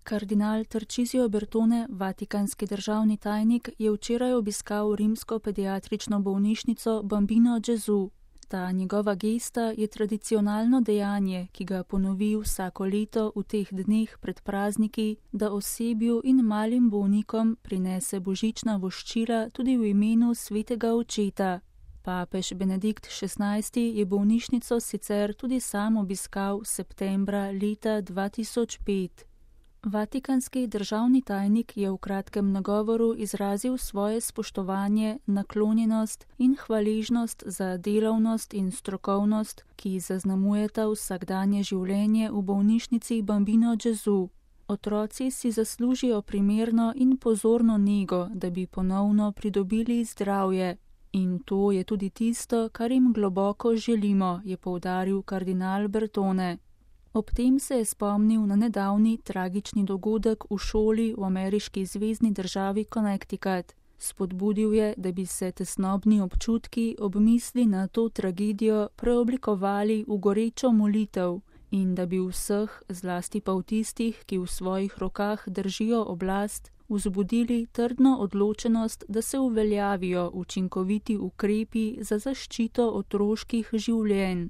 Kardinal Tarcisio Bertone, vatikanski državni tajnik, je včeraj obiskal rimsko pediatrično bolnišnico Bambino Gesù. Ta njegova gesta je tradicionalno dejanje, ki ga ponovi vsako leto v teh dneh pred prazniki, da osebju in malim bolnikom prinese božična voščila tudi v imenu svetega očeta. Papež Benedikt XVI je bolnišnico sicer tudi sam obiskal septembra leta 2005. Vatikanski državni tajnik je v kratkem nagovoru izrazil svoje spoštovanje, naklonjenost in hvaležnost za delavnost in strokovnost, ki zaznamujeta vsakdanje življenje v bolnišnici Bambino Gesù. Otroci si zaslužijo primerno in pozorno nego, da bi ponovno pridobili zdravje. In to je tudi tisto, kar jim globoko želimo, je poudaril kardinal Bertone. Ob tem se je spomnil na nedavni tragični dogodek v šoli v ameriški zvezni državi Connecticut. Spodbudil je, da bi se tesnobni občutki ob misli na to tragedijo preoblikovali v gorečo molitev in da bi vseh, zlasti pa v tistih, ki v svojih rokah držijo oblast, vzbudili trdno odločenost, da se uveljavijo učinkoviti ukrepi za zaščito otroških življenj.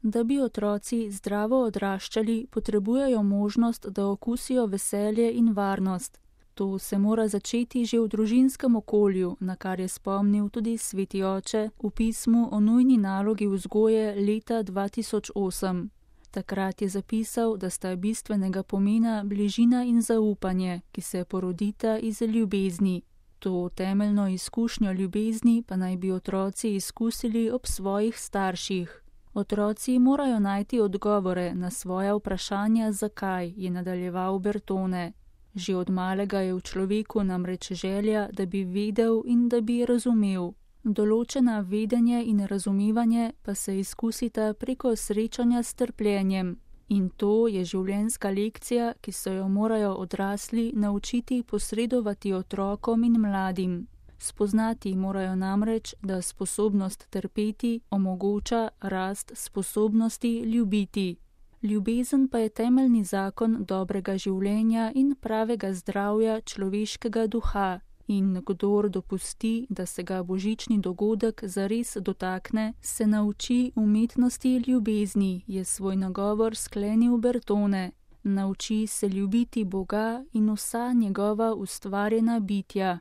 Da bi otroci zdravo odraščali, potrebujejo možnost, da okusijo veselje in varnost. To se mora začeti že v družinskem okolju, na kar je spomnil tudi sveti oče v pismu o nujni nalogi vzgoje leta 2008. Takrat je zapisal, da sta bistvenega pomena bližina in zaupanje, ki se porodita iz ljubezni. To temeljno izkušnjo ljubezni pa naj bi otroci izkusili ob svojih starših. Otroci morajo najti odgovore na svoja vprašanja zakaj, je nadaljeval Bertone. Že od malega je v človeku namreč želja, da bi vedel in da bi razumel. Določena vedenje in razumevanje pa se izkusita preko srečanja s trpljenjem. In to je življenjska lekcija, ki se jo morajo odrasli naučiti posredovati otrokom in mladim. Spoznati morajo namreč, da sposobnost trpeti omogoča rast sposobnosti ljubiti. Ljubezen pa je temeljni zakon dobrega življenja in pravega zdravja človeškega duha. In kdor dopusti, da se ga božični dogodek zares dotakne, se nauči umetnosti ljubezni, je svoj nagovor sklenil Bertone. Nauči se ljubiti Boga in vsa njegova ustvarjena bitja.